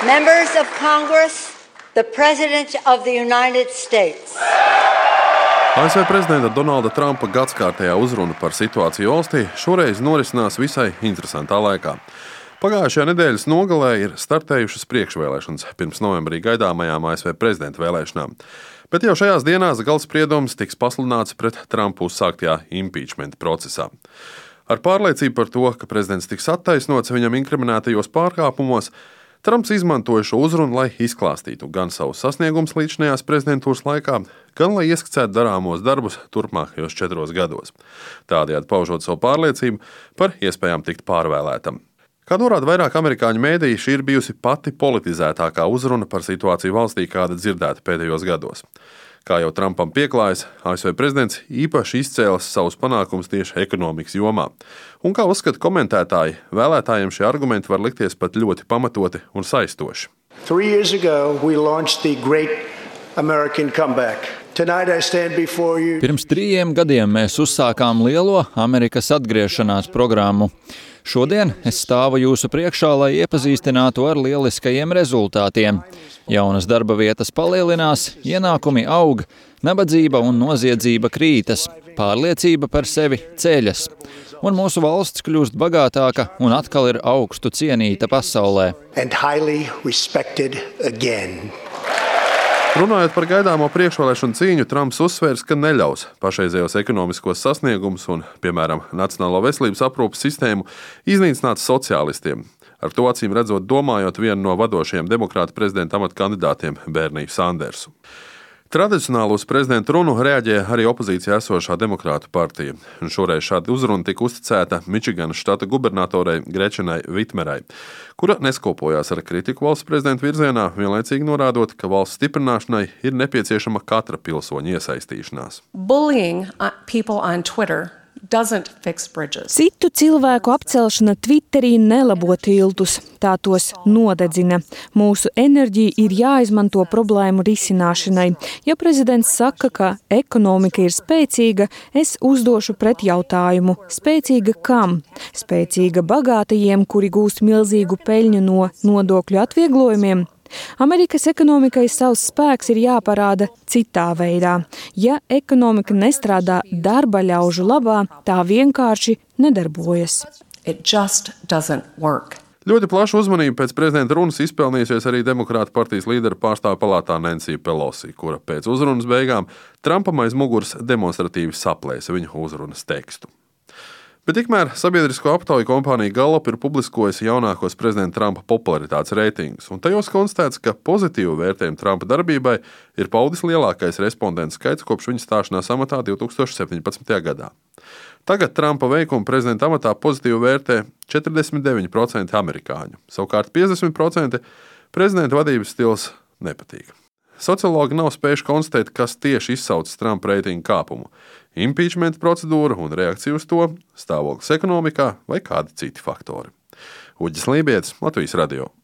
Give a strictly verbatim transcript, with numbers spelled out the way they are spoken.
Members of Congress, the President of the United States. A S V prezidenta Donalda Trumpa gadskārtējā uzruna par situāciju valstī šoreiz norisinās visai interesantā laikā. Pagājušajā nedēļas nogalē ir startējušas priekšvēlēšanas pirms novembrī gaidāmajām A S V prezidenta vēlēšanām. Bet jau šajās dienās galdspriedums tiks pasludināts pret Trumpu uzsāktajā impeachment procesā. Ar pārliecību par to, ka prezidents tiks attaisnots viņam inkriminētajos pārkāpumos, Trumps izmantoja šo uzrunu, lai izklāstītu gan savus sasniegumus līdzinājās prezidentūras laikā, gan lai ieskicētu darāmos darbus turpmākajos četros gados. Tādējādi paužot savu pārliecību par iespējām tikt pārvēlētam. Kā norāda vairāk amerikāņu mēdīji, šī ir bijusi pati politizētākā uzruna par situāciju valstī, kāda dzirdēta pēdējos gados. Kā jau Trumpam pieklājas, A S V prezidents īpaši izcēlas savus panākumus tieši ekonomikas jomā. Un kā uzskata komentētāji, vēlētājiem šie argumenti var likties pat ļoti pamatoti un saistoši. Three years ago, we launched the Great American Comeback. Tonight I stand before you. Pirms trījiem gadiem mēs uzsākām lielo Amerikas atgriešanās programmu. Šodien es stāvu jūsu priekšā, lai iepazīstinātu ar lieliskajiem rezultātiem. Jaunas darba vietas palielinās, ienākumi aug, nabadzība un noziedzība krītas, pārliecība par sevi ceļas. Un mūsu valsts kļūst bagātāka un atkal ir augstu cienīta pasaulē. And highly respected again. Runājot par gaidāmo priekšvēlēšanu cīņu, Trumps uzsvērs, ka neļaus pašreizējos ekonomiskos sasniegumus un, piemēram, Nacionālo veselības aprūpes sistēmu iznīcināt sociālistiem. Ar to acīm redzot domājot vienu no vadošajiem demokrāta prezidenta amata kandidātiem Berniju Sandersu. Tradicionāli uz prezidenta runu reaģēja arī opozīcijā esošā demokrātu partija. Un šoreiz šāda uzruna tika uzticēta Mičiganas štata gubernatorei Grečenai Vitmerai, kura neskopojās ar kritiku valsts prezidenta virzienā, vienlaicīgi norādot, ka valsts stiprināšanai ir nepieciešama katra pilsoņa iesaistīšanās. Bullying people on Twitter doesn't fix bridges. Citu cilvēku apcelšana Twitterī nelabo tiltus, tā tos nodedzina. Mūsu enerģija ir jāizmanto problēmu risināšanai. Ja prezidents saka, ka ekonomika ir spēcīga, es uzdošu pretjautājumu. Spēcīga kam? Spēcīga bagātajiem, kuri gūst milzīgu peļņu no nodokļu atvieglojumiem? Amerikas ekonomikai savs spēks ir jāparāda citā veidā. Ja ekonomika nestrādā darba ļaužu labā, tā vienkārši nedarbojas. It just doesn't work. Ļoti plašu uzmanību pēc prezidenta runas izpelnījusies arī demokrāta partijas līdera pārstāvju palātā Nancy Pelosi, kura pēc uzrunas beigām Trumpam aiz muguras demonstratīvi saplēsa viņa uzrunas tekstu. Bet tikmēr sabiedrisko aptauju kompānija Gallup ir publiskojusi jaunākos prezidenta Trumpa popularitātes reitingus, un tajos konstatēts, ka pozitīvu vērtējumu Trumpa darbībai ir paudis lielākais respondentu skaits kopš viņa stāšanās amatā divi tūkstoši septiņpadsmitajā gadā. Tagad Trumpa veikumu prezidenta amatā pozitīvi vērtē četrdesmit deviņi procenti amerikāņu, savukārt piecdesmit procenti prezidenta vadības stils nepatīk. Sociologi nav spējuši konstatēt, kas tieši izsaucis Trumpa reitingu kāpumu – impeachment procedūra un reakcija uz to, stāvoklis ekonomikā vai kādi citi faktori. Uģis Lībietis, Latvijas radio.